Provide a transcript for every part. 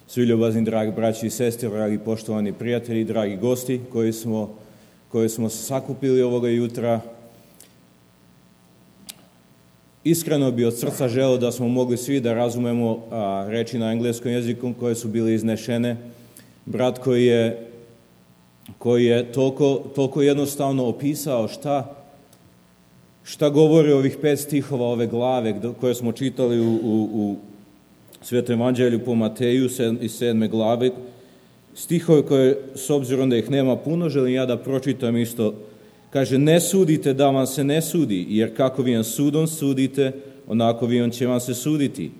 Svi ljubazni, dragi braći i sestre, dragi poštovani prijatelji, dragi gosti koji smo se sakupili ovoga jutra. Iskreno bi od srca želeo da smo mogli svi da razumemo reči na engleskom jeziku koje su bile iznešene. Brat koji je toliko jednostavno opisao šta govori ovih 5 stihova ove glave koje smo čitali u Svetom evanđelju po Mateju iz 7. glave. Stihove koje, s obzirom da ih nema puno, želim ja da pročitam isto. Kaže, ne sudite da vam se ne sudi, jer kako vi sudom sudite, onako vi će vam se suditi.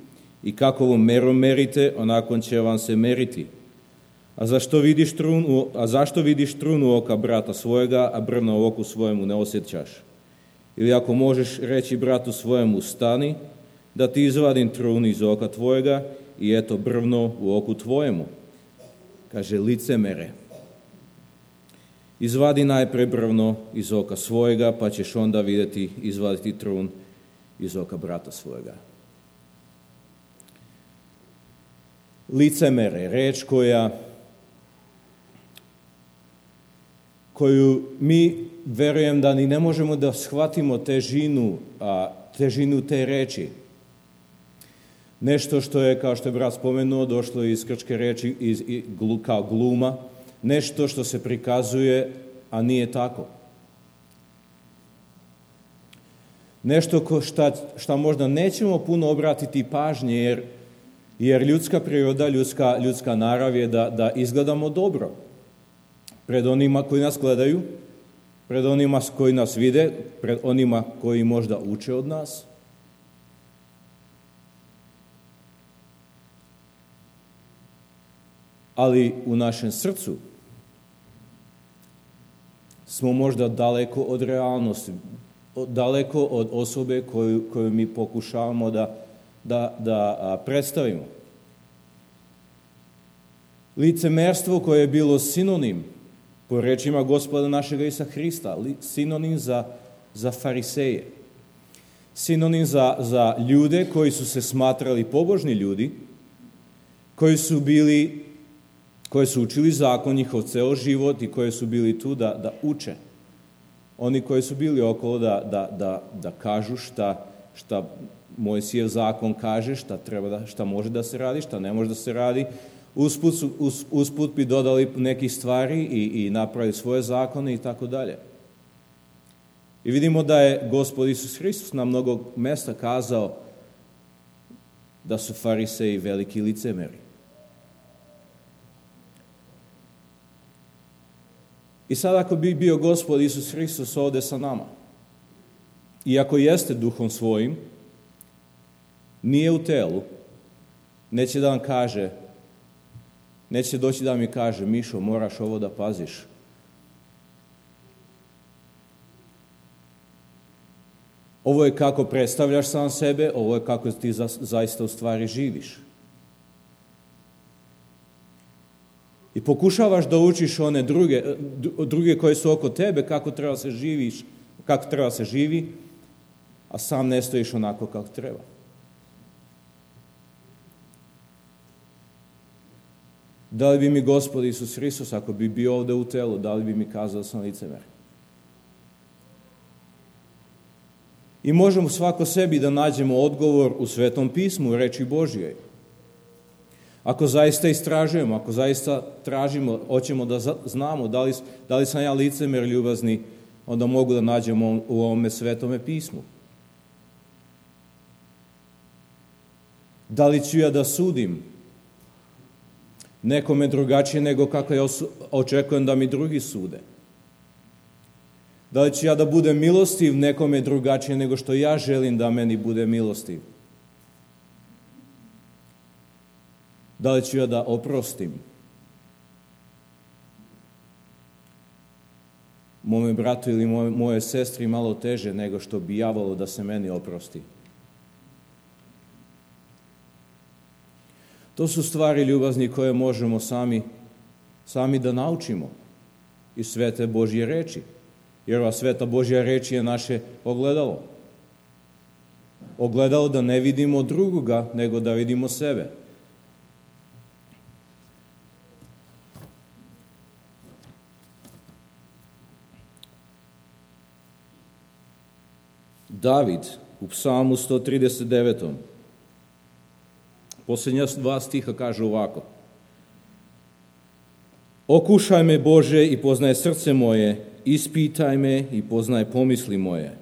I kakovom merom merite, onako će vam se meriti. A zašto vidiš trunu oka brata svojega, a brvna u oku svojemu ne osjećaš? Ili ako možeš reći bratu svojemu, stani, da ti izvadim trunu iz oka tvojega i eto brvno u oku tvojemu. Kaže, licemere. Izvadi najpre brvno iz oka svojega, pa ćeš onda izvaditi trun iz oka brata svojega. Licemere, reč koju mi verujem da ni ne možemo da shvatimo težinu te reči. Nešto što je, kao što je brat spomenuo, došlo iz grčke reči kao gluma, nešto što se prikazuje, a nije tako. Nešto šta možda nećemo puno obratiti pažnje, jer ljudska priroda, ljudska narav je da izgledamo dobro. Pred onima koji nas gledaju, pred onima koji nas vide, pred onima koji možda uče od nas. Ali u našem srcu smo možda daleko od realnosti, daleko od osobe koju mi pokušavamo da predstavimo. Licemerstvo koje je bilo sinonim, po rečima Gospoda našega Isusa Hrista, sinonim za fariseje, sinonim za ljude koji su se smatrali pobožni ljudi, koji su učili zakon njihov ceo život i koji su bili tu da uče. Oni koji su bili okolo da kažu šta Mojsijev zakon kaže, šta može da se radi, šta ne može da se radi. Usput bi dodali neke stvari i napravili svoje zakone i tako dalje. I vidimo da je Gospod Isus Hristos na mnogo mesta kazao da su fariseji veliki licemeri. I sad ako bi bio Gospod Isus Hristos ovde sa nama, i ako jeste duhom svojim, nije u telu, neće da vam kaže, neće doći da mi kaže, Mišo, moraš ovo da paziš. Ovo je kako predstavljaš sam sebe, ovo je kako ti zaista u stvari živiš. I pokušavaš da učiš one druge koje su oko tebe, kako treba se živiš, kako treba se živi, a sam ne stojiš onako kako treba. Da li bi mi Gospod Isus Hristos, ako bi bio ovde u telu, da li bi mi kazao da sam licemer? I možemo svako sebi da nađemo odgovor u Svetom pismu, u reči Božjoj. Ako zaista istražujemo, ako zaista tražimo, hoćemo da znamo da li sam ja licemer ljubazni, onda mogu da nađemo u ovome Svetome pismu. Da li ću ja da sudim nekome drugačije nego kako ja očekujem da mi drugi sude? Da li ću ja da budem milostiv nekome drugačije nego što ja želim da meni bude milostiv? Da li ću ja da oprostim mome bratu ili moje sestri malo teže nego što bi ja volio da se meni oprosti? To su stvari ljubazni koje možemo sami da naučimo iz Svete Božje reči. Jer ova Sveta Božja reč je naše ogledalo. ogledalo da ne vidimo drugoga, nego da vidimo sebe. David u Psalmu 139. Posljednja 2 stiha kaže ovako: Okušaj me, Bože, i poznaj srce moje, ispitaj me i poznaj pomisli moje.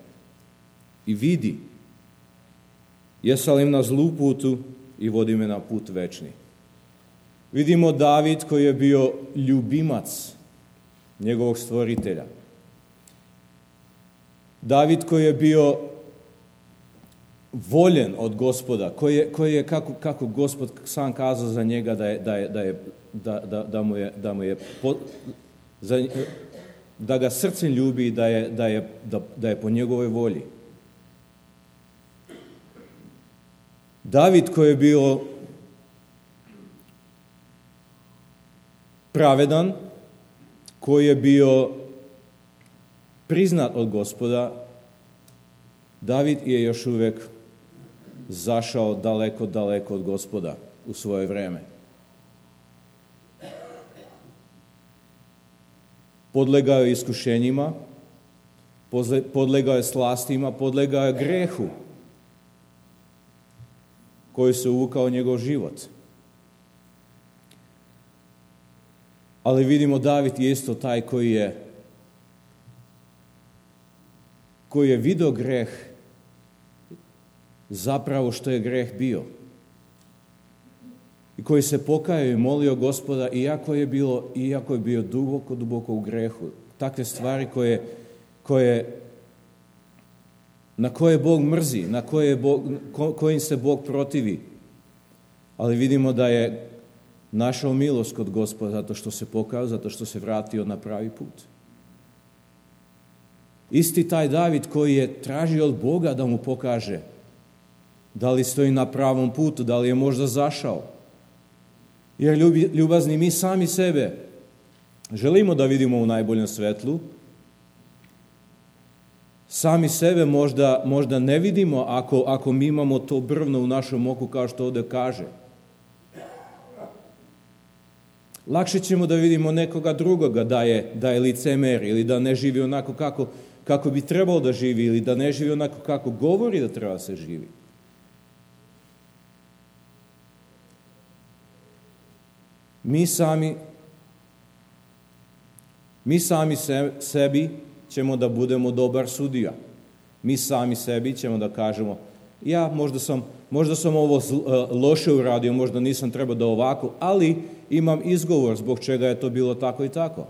I vidi, jesam li na zlu putu i vodi me na put večni. Vidimo David koji je bio ljubimac njegovog stvoritelja. David koji je bio voljen od Gospoda, koji je kako Gospod sam kazao za njega da ga srcem ljubi i da je po njegovoj volji. David koji je bio pravedan, koji je bio priznat od Gospoda, David je još uvijek zašao daleko, daleko od Gospoda u svoje vreme. Podlegao je iskušenjima, podlegao je slastima, podlegao je grehu koji se uvukao u njegov život. Ali vidimo David je isto taj koji je vidio greh zapravo što je greh bio. I koji se pokajao i molio Gospoda iako je bio duboko, duboko u grehu. Takve stvari na koje Bog mrzi, kojim se Bog protivi. Ali vidimo da je našao milost kod Gospoda zato što se pokajao, zato što se vratio na pravi put. Isti taj David koji je tražio od Boga da mu pokaže da li stoji na pravom putu, da li je možda zašao. Jer ljubazni, mi sami sebe želimo da vidimo u najboljem svetlu. Sami sebe možda ne vidimo ako mi imamo to brvno u našem oku kao što ovdje kaže. Lakše ćemo da vidimo nekoga drugoga da je licemer ili da ne živi onako kako bi trebalo da živi ili da ne živi onako kako govori da treba se živi. Mi sami sebi ćemo da budemo dobar sudija. Mi sami sebi ćemo da kažemo, ja možda sam ovo loše uradio, možda nisam trebao da ovako, ali imam izgovor zbog čega je to bilo tako i tako.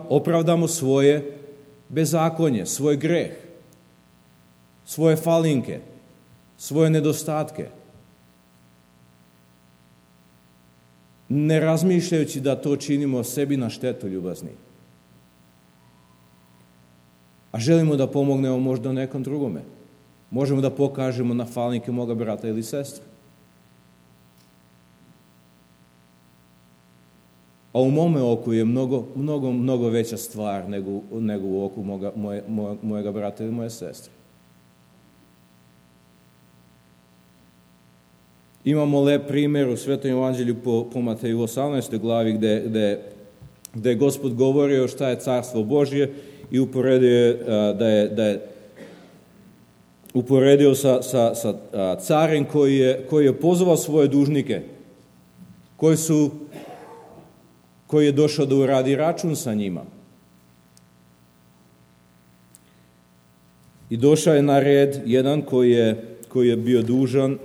Opravdamo svoje bezakonje, svoj greh, svoje falinke, svoje nedostatke. Ne razmišljajući da to činimo sebi na štetu, ljubazni. A želimo da pomognemo možda nekom drugome. Možemo da pokažemo na falinke moga brata ili sestre. A u mome oku je mnogo veća stvar nego u oku mojega brata ili moje sestre. Imamo lep primjer u Svetom evanđelju po Mateju 18. glavi gde je Gospod govorio šta je carstvo Božje i uporedio sa carem koji je pozvao svoje dužnike, koji je došao da uradi račun sa njima. I došao je na red jedan koji je bio dužan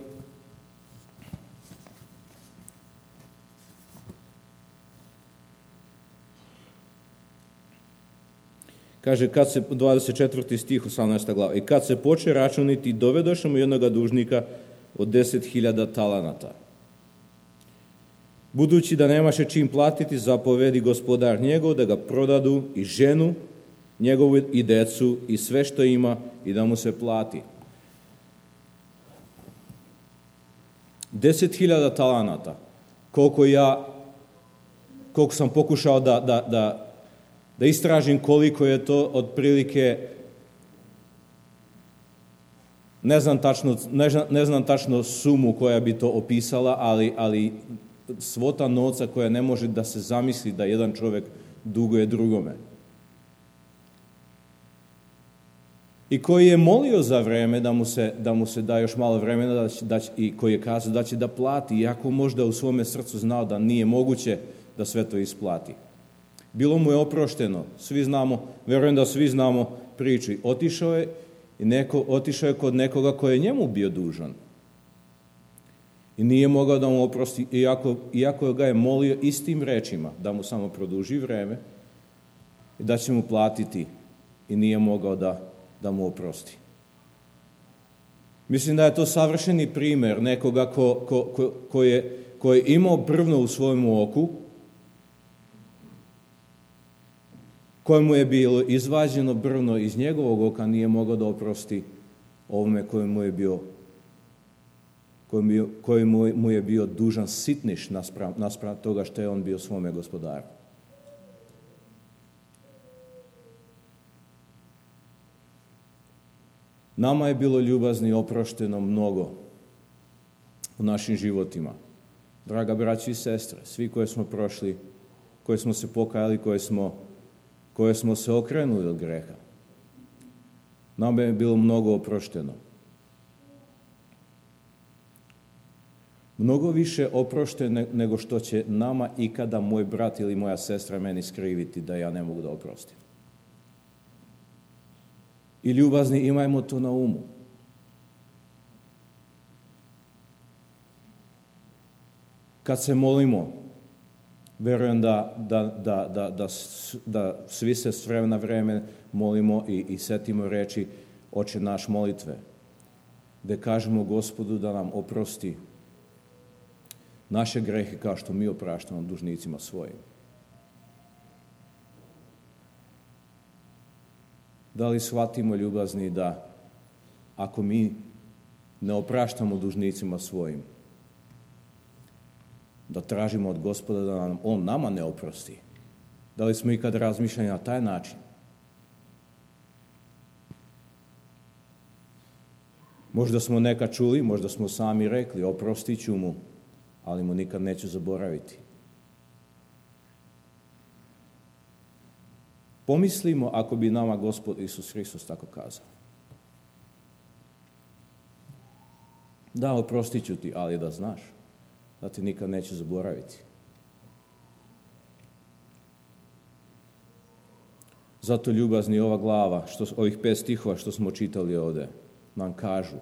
kaže, 24. stih 18. glava. I kad se poče računiti, dovedoše mu jednoga dužnika od 10.000 talanata. Budući da nemaše čim platiti, zapovedi gospodar njegov da ga prodadu i ženu njegovu i decu i sve što ima i da mu se plati. 10.000 talanata. Koliko sam pokušao da istražim koliko je to otprilike Ne znam tačno sumu koja bi to opisala, ali svota novca koja ne može da se zamisli da jedan čovjek duguje drugome. I koji je molio za vreme da mu se da još malo vremena i koji je kazao da će da plati, iako možda u svome srcu znao da nije moguće da sve to isplati. Bilo mu je oprošteno. Svi znamo, verujem da svi znamo priču. Otišao je kod nekoga koji je njemu bio dužan. I nije mogao da mu oprosti, iako ga je molio istim rečima, da mu samo produži vreme i da će mu platiti, i nije mogao da mu oprosti. Mislim da je to savršeni primjer nekoga ko je imao brvno u svojem oku, kojemu je bilo izvađeno brvno iz njegovog oka, nije mogao da oprosti ovome kojemu je bio dužan sitniš naspram toga što je on bio svome gospodaru. Nama je bilo ljubazni oprošteno mnogo u našim životima. Draga braći i sestre, svi koje smo prošli, koje smo se pokajali, koje smo se okrenuli od greha. Nama je bilo mnogo oprošteno. Mnogo više oprošteno nego što će nama ikada moj brat ili moja sestra meni skriviti da ja ne mogu da oprostim. I ljubazni, imajmo to na umu. Kad se molimo, verujem da svi se s vremena na vreme molimo i setimo reči Oče naš molitve, gde kažemo Gospodu da nam oprosti naše grehe kao što mi opraštamo dužnicima svojim. Da li shvatimo, ljubazni, da ako mi ne opraštamo dužnicima svojim, da tražimo od Gospoda da On nama ne oprosti? Da li smo ikad razmišljali na taj način? Možda smo nekad čuli, možda smo sami rekli, oprostit ću mu, ali mu nikad neću zaboraviti. Pomislimo ako bi nama Gospod Isus Hristos tako kazao. Da, oprostit ću ti, ali da znaš da ti nikad neću zaboraviti. Zato, ljubazni, ova glava, ovih 5 stihova što smo čitali ovde, nam kažu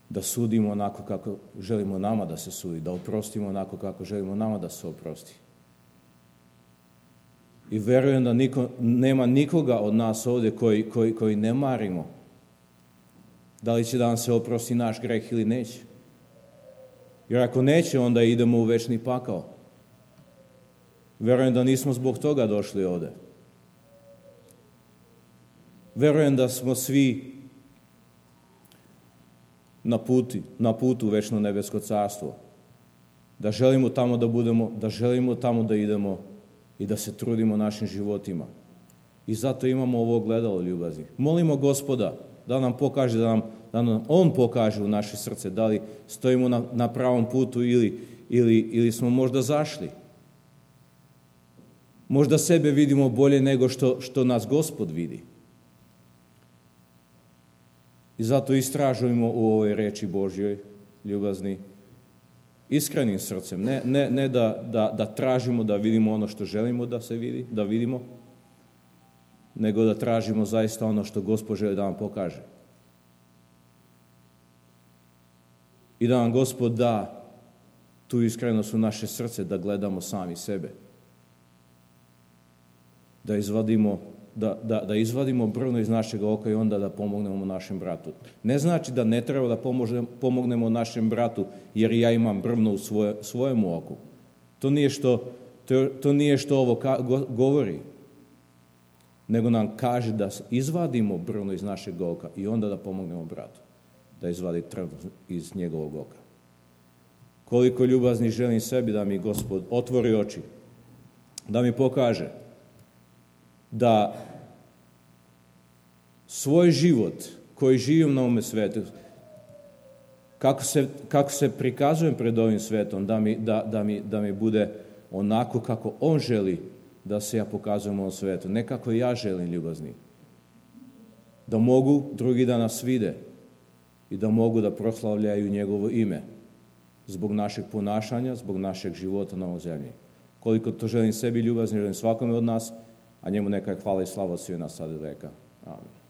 da sudimo onako kako želimo nama da se sudi, da oprostimo onako kako želimo nama da se oprosti. I verujem da nema nikoga od nas ovde koji ne marimo da li će da nam se oprosti naš greh ili neće. Jer ako neće, onda idemo u večni pakao. Verujem da nismo zbog toga došli ovde. Verujem da smo svi na putu u večno nebesko carstvo. Da želimo tamo da budemo, da želimo tamo da idemo i da se trudimo našim životima. I zato imamo ovo ogledalo, ljubazni. Molimo Gospoda da nam pokaže, da nam On pokaže u naše srce da li stojimo na pravom putu ili smo možda zašli. Možda sebe vidimo bolje nego što nas Gospod vidi. I zato istražujemo u ovoj reči Božjoj, ljubazni, iskrenim srcem. Ne da tražimo da vidimo ono što želimo da se vidi, da vidimo, nego da tražimo zaista ono što Gospod želi da nam pokaže. I da nam Gospod da tu iskrenost u naše srce, da gledamo sami sebe. Da izvadimo brvno iz našeg oka i onda da pomognemo našem bratu. Ne znači da ne treba da pomognemo našem bratu jer ja imam brvno u svojem oku. To nije što ovo govori, nego nam kaže da izvadimo brvno iz našeg oka i onda da pomognemo bratu da izvadi trn iz njegovog oka. Koliko ljubazni želim sebi da mi Gospod otvori oči, da mi pokaže da svoj život koji živim na ovome svetu, kako se prikazujem pred ovim svetom, da mi bude onako kako on želi da se ja pokazujem u ovom svetu, ne kako ja želim, ljubazni. Da mogu drugi da nas vide i da mogu da proslavljaju njegovo ime zbog našeg ponašanja, zbog našeg života na ovoj zemlji. Koliko to želim sebi, ljubazni, želim svakome od nas, a njemu neka je hvala i slava od svih nas sad i veka. Amen.